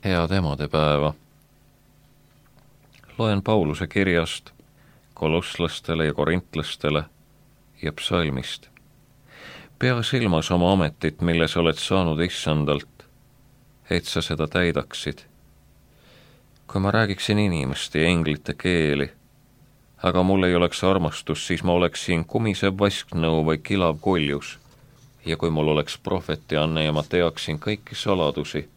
Head emadepäeva. Loen Pauluse kirjast kolosslastele ja korintlastele ja psalmist. Pea silmas oma ametit, mille sa oled saanud issandalt, et sa seda täidaksid. Kui ma räägiksin inimeste ja englite keeli, aga mul ei oleks armastus, siis ma oleksin kumisev vasknõu või kilav koljus. Ja kui mul oleks prohvetianne ja ma teaksin kõiki saladusi,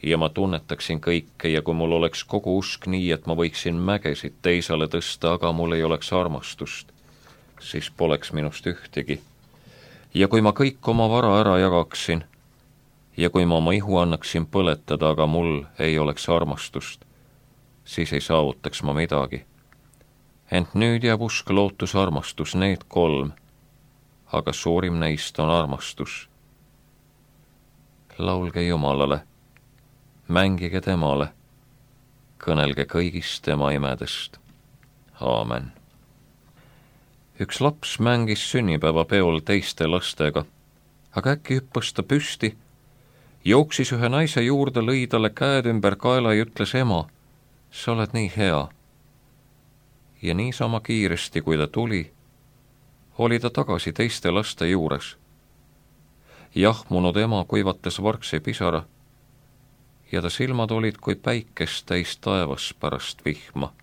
ja ma tunnetaksin kõike, ja kui mul oleks kogu usk nii, et ma võiksin mägesid teisale tõsta, aga mul ei oleks armastust, siis poleks minust ühtegi. Ja kui ma kõik oma vara ära jagaksin, ja kui ma oma ihu annaksin põletada, aga mul ei oleks armastust, siis ei saavutaks ma midagi. Ent nüüd jääb usk, lootus, armastus, need 3, aga suurim neist on armastus. Laulge Jumalale, mängige temale, kõnelge kõigist tema imedest. Aamen. Üks laps mängis sünnipäevapeol teiste lastega, aga äkki hüppas ta püsti, jooksis ühe naise juurde, lõi talle käed ümber kaela ja ütles: ema, sa oled nii hea. Ja niisama kiiresti, kui ta tuli, oli ta tagasi teiste laste juures. Jahmunud ema kuivatas vargsi pisara ja ta silmad olid kui päikest täis taevas pärast vihma.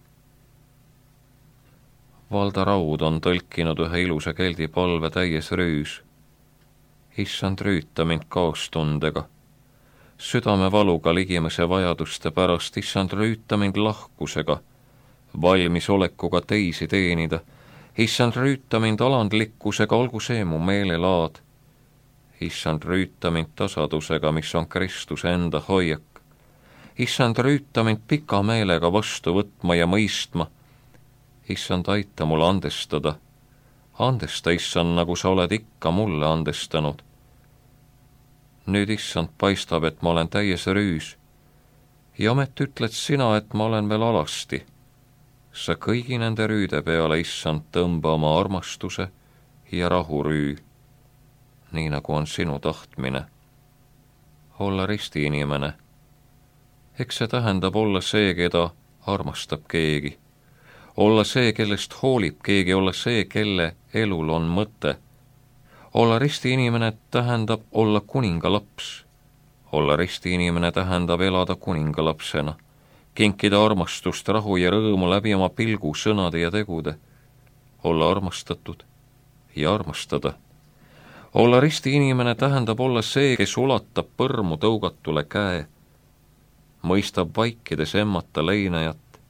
Valda Raud on tõlkinud ühe ilusa keldi palve täies rüüs. Issand, rüüta mind kaastundega, südamevaluga ligimese vajaduste pärast. Issand, rüüta mind lahkusega, valmisolekuga teisi teenida. Issand, rüüta mind alandlikkusega, olgu see mu meelelaad. Issand, rüüta mind tasadusega, mis on Kristuse enda hoiak. Issand, rüüta mind pika meelega vastu võtma ja mõistma. Issand, aita mul andestada. Andesta, Issand, nagu sa oled ikka mulle andestanud. Nüüd, Issand, paistab, et ma olen täies rüüs. Ja omet ütled sina, et ma olen veel alasti. Sa kõigi nende rüüde peale, Issand, tõmba oma armastuse ja rahurüü, nii nagu on sinu tahtmine. Olla ristiinimene. Eks see tähendab olla see, keda armastab keegi. Olla see, kellest hoolib keegi, olla see, kelle elul on mõte. Olla ristiinimene tähendab olla kuningalaps. Olla ristiinimene tähendab elada kuningalapsena. Kinkida armastust, rahu ja rõõmu läbi oma pilgu, sõnade ja tegude. Olla armastatud ja armastada. Olla ristiinimene tähendab olla see, kes ulatab põrmu tõugatule käe, mõistab vaikides emmata leinajat,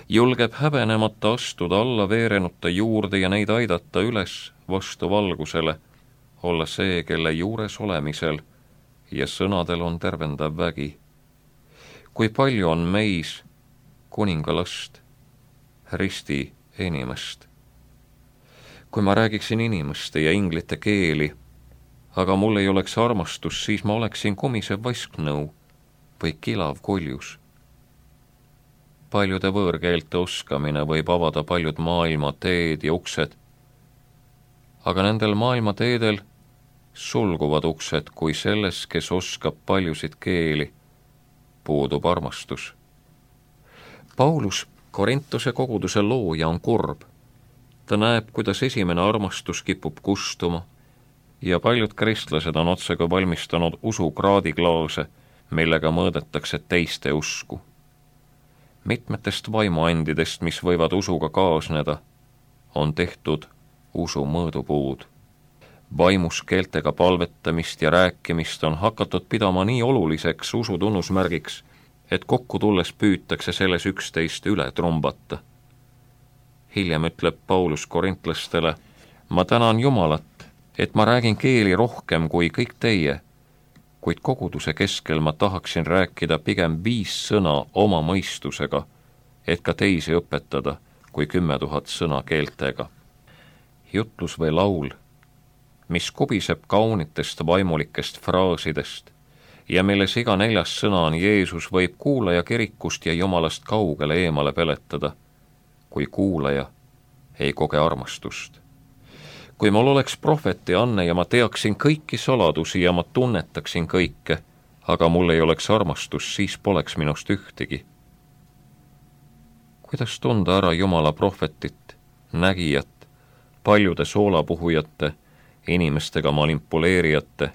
julgeb häbenemata astuda alla veerenute juurde ja neid aidata üles vastu valgusele, olla see, kelle juures olemisel ja sõnadel on tervendav vägi. Kui palju on meis kuningalast, risti inimest. Kui ma räägiksin inimeste ja inglite keeli, aga mul ei oleks armastus, siis ma oleksin kumisev vasknõu või kilav koljus. Paljude võõrkeelte oskamine võib avada paljud maailma teed ja uksed, aga nendel maailma teedel sulguvad uksed, kui selles, kes oskab paljusid keeli, puudub armastus. Paulus, Korintuse koguduse looja, on kurb. Ta näeb, kuidas esimene armastus kipub kustuma ja paljud kristlased on otsega valmistanud usukraadiklaase, millega mõõdetakse teiste usku. Mitmetest vaimuandidest, mis võivad usuga kaasneda, on tehtud usu mõõdupuud. Vaimus keeltega palvetamist ja rääkimist on hakatud pidama nii oluliseks usu tunnusmärgiks, et kokku tulles püütakse selles 11 üle trumbata. Hiljem ütleb Paulus korintlastele: ma tänan Jumalat, et ma räägin keeli rohkem kui kõik teie, kuid koguduse keskel ma tahaksin rääkida pigem 5 sõna oma mõistusega, et ka teisi õpetada, kui 10 000 sõna keeltega. Jutlus või laul, mis kubiseb kaunitest vaimulikest fraasidest ja milles iga 4. sõna on Jeesus, võib kuulaja kirikust ja Jumalast kaugele eemale peletada, kui kuulaja ei koge armastust. Kui mul oleks prohveti anne ja ma teaksin kõiki saladusi ja ma tunnetaksin kõike, aga mul ei oleks armastust, siis poleks minust ühtegi. Kuidas tunda ära Jumala prohvetit, nägijat, paljude soolapuhujate, inimestega manipuleerijate,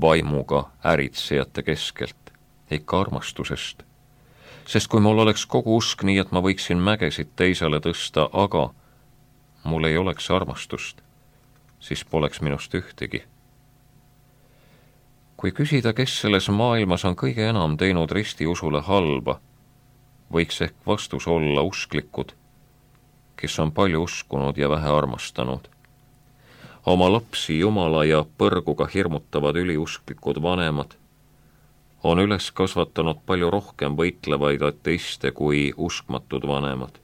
vaimuga äritsejate keskelt, ikka armastusest. Sest kui mul oleks kogu usk nii, et ma võiksin mägesid teisele tõsta, aga mul ei oleks armastust, siis poleks minust ühtegi. Kui küsida, kes selles maailmas on kõige enam teinud ristiusule halba, võiks ehk vastus olla usklikud, kes on palju uskunud ja vähe armastanud. Oma lapsi Jumala ja põrguga hirmutavad üliusklikud vanemad on üles kasvatanud palju rohkem võitlevaid ateiste kui uskmatud vanemad.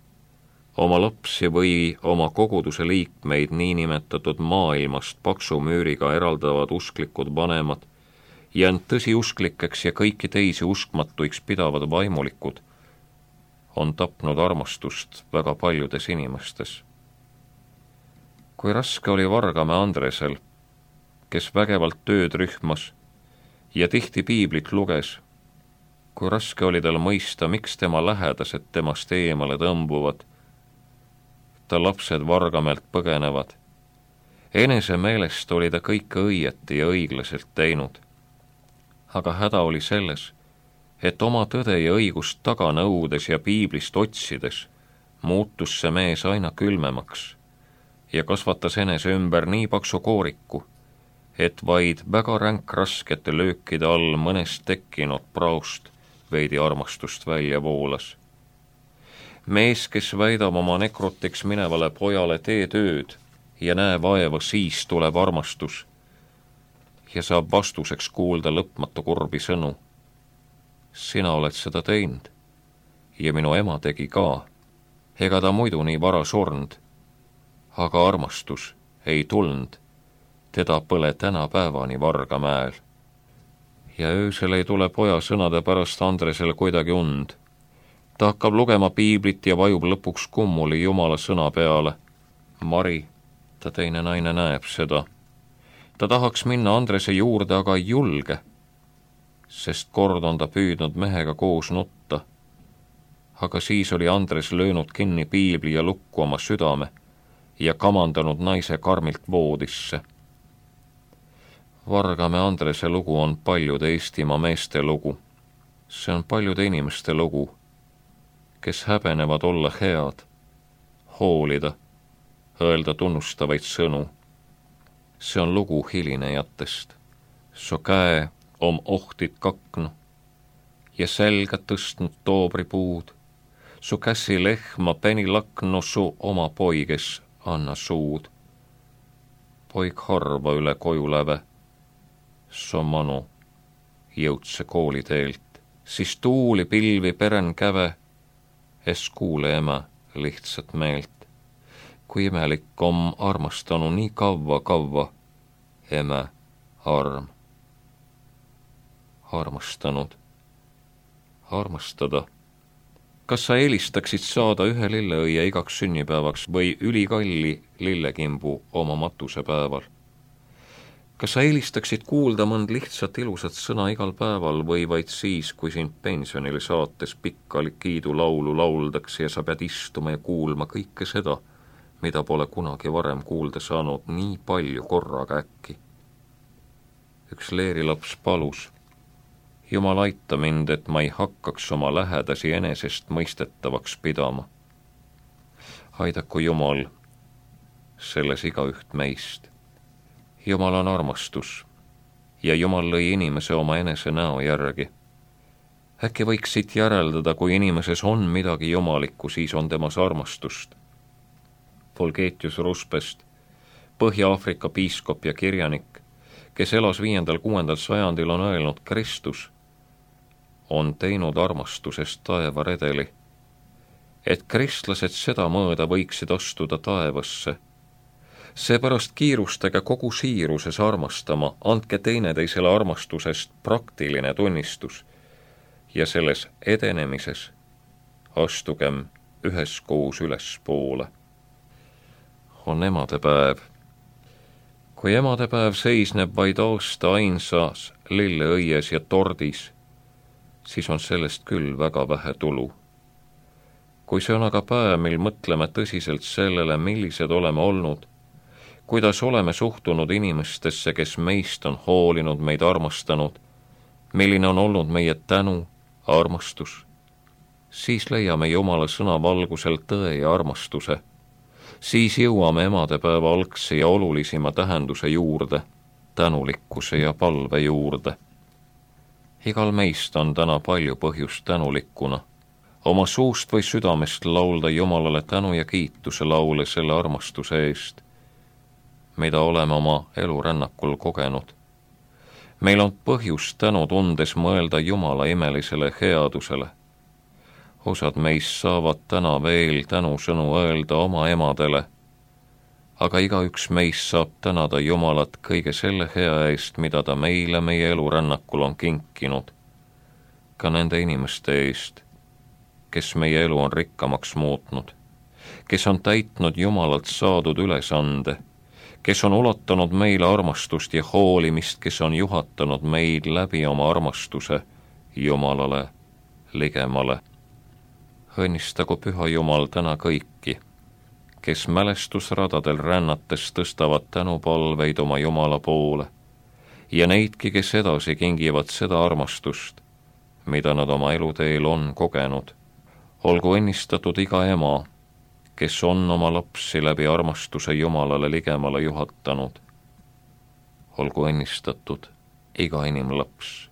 Oma lapsi või oma koguduse liikmeid niinimetatud maailmast paksu müüriga eraldavad usklikud vanemad ja end tõsiusklikeks ja kõiki teisi uskmatuiks pidavad vaimulikud on tapnud armastust väga paljudes inimestes. Kui raske oli Vargamäe Andresel, kes vägevalt tööd rühmas ja tihti piiblit luges, kui raske oli tal mõista, miks tema lähedased temast eemale tõmbuvad, ta lapsed Vargamäelt põgenevad. Enese meelest oli ta kõike õieti ja õiglaselt teinud. Aga häda oli selles, et oma tõde ja õigust taga nõudes ja piiblist otsides muutus see mees aina külmemaks ja kasvatas enese ümber nii paksu kooriku, et vaid väga ränk raskete löökide all mõnest tekkinud praost veidi armastust välja voolas. Mees, kes väidab oma nekrotiks minevale pojale tee tööd ja näe vaeva, siis tuleb armastus ja saab vastuseks kuulda lõpmatu kurbi sõnu. Sina oled seda teinud ja minu ema tegi ka. Ega ta muidu nii vara surnud, aga armastus ei tulnud. Teda põle tänapäevani Vargamäel. Ja öösel ei tule poja sõnade pärast Andresel kuidagi und. Ta hakkab lugema piiblit ja vajub lõpuks kummuli Jumala sõna peale. Mari, ta teine naine näeb seda. Ta tahaks minna Andrese juurde, aga ei julge, sest kord on ta püüdnud mehega koos nutta. Aga siis oli Andres löönud kinni piibli ja lukku oma südame ja kamandanud naise karmilt voodisse. Vargamäe Andrese lugu on paljude Eestimaa meeste lugu. See on paljude inimeste lugu, kes häbenevad olla head, hoolida, öelda tunnustavaid sõnu. See on lugu hilinejatest. Su käe om ohtit kaknu ja selga tõstnud toobripuud. Su käsi lehma peni laknu, su oma poiges anna suud. Poik harva üle koju läve, su manu jõudse kooliteelt, siis tuuli pilvi peren käve, es kuule ema lihtsat meelt. Kui imelik om armastanu nii kavva, eme arm. Armastada. Kas sa eelistaksid saada ühe lilleõie igaks sünnipäevaks või ülikalli lillekimbu oma matusepäeval? Kas sa eelistaksid kuulda mõnd lihtsat ilusat sõna igal päeval või vaid siis, kui sind pensionile saates pikka kiidulaulu lauldakse ja sa pead istuma ja kuulma kõike seda, mida pole kunagi varem kuulda saanud nii palju korraga äkki? Üks leerilaps palus, Jumal aita mind, et ma ei hakkaks oma lähedasi enesest mõistetavaks pidama. Aidaku Jumal selles igaüht meist. Jumal on armastus ja Jumal lõi inimese oma enese näo järgi. Äkki võiks siit järeldada, kui inimeses on midagi jumalikku, siis on temas armastust. Fulgetius Ruspest, Põhja-Aafrika piiskop ja kirjanik, kes elas 5.–6. sajandil, on öelnud, Kristus on teinud armastusest taevaredeli, et kristlased seda mõõda võiksid astuda taevasse. Seepärast kiirustage kogu siiruses armastama, andke teineteisele armastusest praktiline tunnistus ja selles edenemises astugem üheskoos ülespoole. On emadepäev. Kui emadepäev seisneb vaid aasta ainsas lilleõies ja tordis, siis on sellest küll väga vähe tulu. Kui see on aga päev, mil mõtleme tõsiselt sellele, millised oleme olnud, kuidas oleme suhtunud inimestesse, kes meist on hoolinud, meid armastanud, milline on olnud meie tänu, armastus, siis leiame Jumala sõna valgusel tõe ja armastuse. Siis jõuame emadepäeva algse ja olulisima tähenduse juurde, tänulikkuse ja palve juurde. Igal meist on täna palju põhjust tänulikkuna, oma suust või südamest laulda Jumalale tänu ja kiituse laule selle armastuse eest, mida oleme oma elurännakul kogenud. Meil on põhjust tänu tundes mõelda Jumala imelisele headusele. Osad meist saavad täna veel tänusõnu öelda oma emadele, aga igaüks meist saab tänada Jumalat kõige selle hea eest, mida ta meile meie elurännakul on kinkinud. Ka nende inimeste eest, kes meie elu on rikkamaks muutnud, kes on täitnud Jumalalt saadud ülesande, kes on ulatanud meile armastust ja hoolimist, kes on juhatanud meid läbi oma armastuse Jumalale ligemale. Õnnistagu Püha Jumal täna kõiki, kes mälestusradadel rännates tõstavad tänupalveid oma Jumala poole ja neidki, kes edasi kingivad seda armastust, mida nad oma eluteel on kogenud. Olgu õnnistatud iga ema, kes on oma lapsi läbi armastuse Jumalale ligemale juhatanud. Olgu õnnistatud iga inimlaps.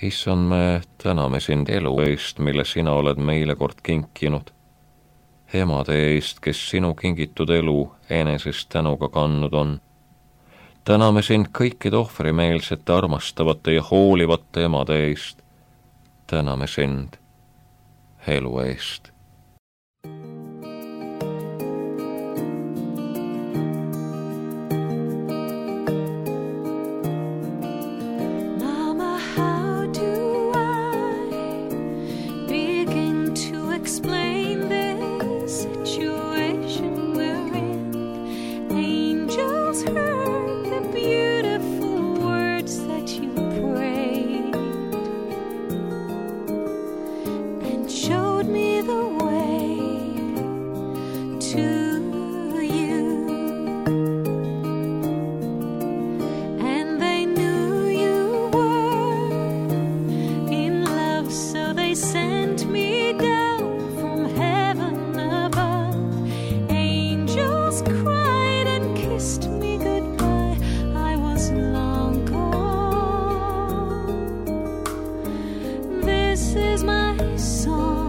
Issand, me täname sind elu eest, mille sina oled meile kord kinkinud. Emade eest, kes sinu kingitud elu enesest tänuga kandnud on. Täname sind kõikide ohvrimeelsete, armastavate ja hoolivate emade eest. Täname sind elu eest. This is my song.